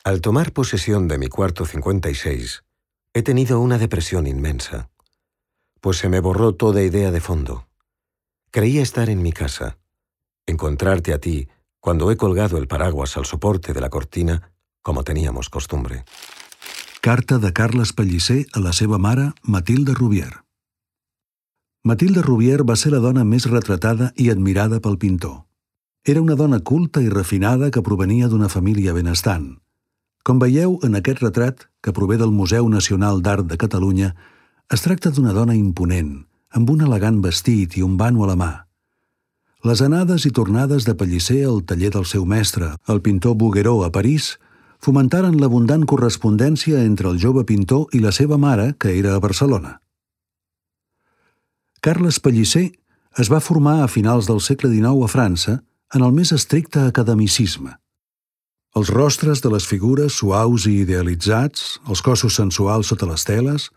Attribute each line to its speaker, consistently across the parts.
Speaker 1: Al tomar posesión de mi cuarto 56, he tenido una depresión inmensa, pues se me borró toda idea de fondo. Creía estar en mi casa, encontrarte a ti cuando he colgado el paraguas al soporte de la cortina, como teníamos costumbre.
Speaker 2: Carta de Carles Pellicer a la seva mare, Matilde Rubier. Matilde Rubier va ser la dona més retratada i admirada pel pintor. Era una dona culta i refinada que provenia d'una família benestant. Com veieu en aquest retrat, que prové del Museu Nacional d'Art de Catalunya, es tracta d'una dona imponent, amb un elegant vestit i un vano a la mà. Les anades i tornades de Pellicer al taller del seu mestre, el pintor Bouguereau, a París, fomentaren l'abundant correspondència entre el jove pintor i la seva mare, que era a Barcelona. Carles Pellicer es va formar a finals del segle XIX a França en el més estricte academicisme. Els rostres de les figures suaus i idealitzats, els cossos sensuals sota les teles,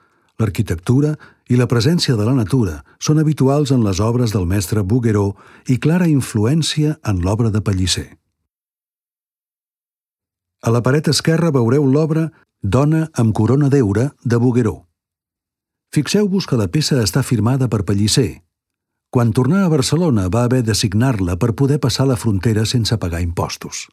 Speaker 2: l'arquitectura i la presència de la natura són habituals en les obres del mestre Bouguereau i clara influència en l'obra de Pellicer. A la paret esquerra veureu l'obra Dona amb corona d'heura de Bouguereau. Fixeu-vos que la peça està firmada per Pellicer. Quan tornà a Barcelona va haver de signar-la per poder passar la frontera sense pagar impostos.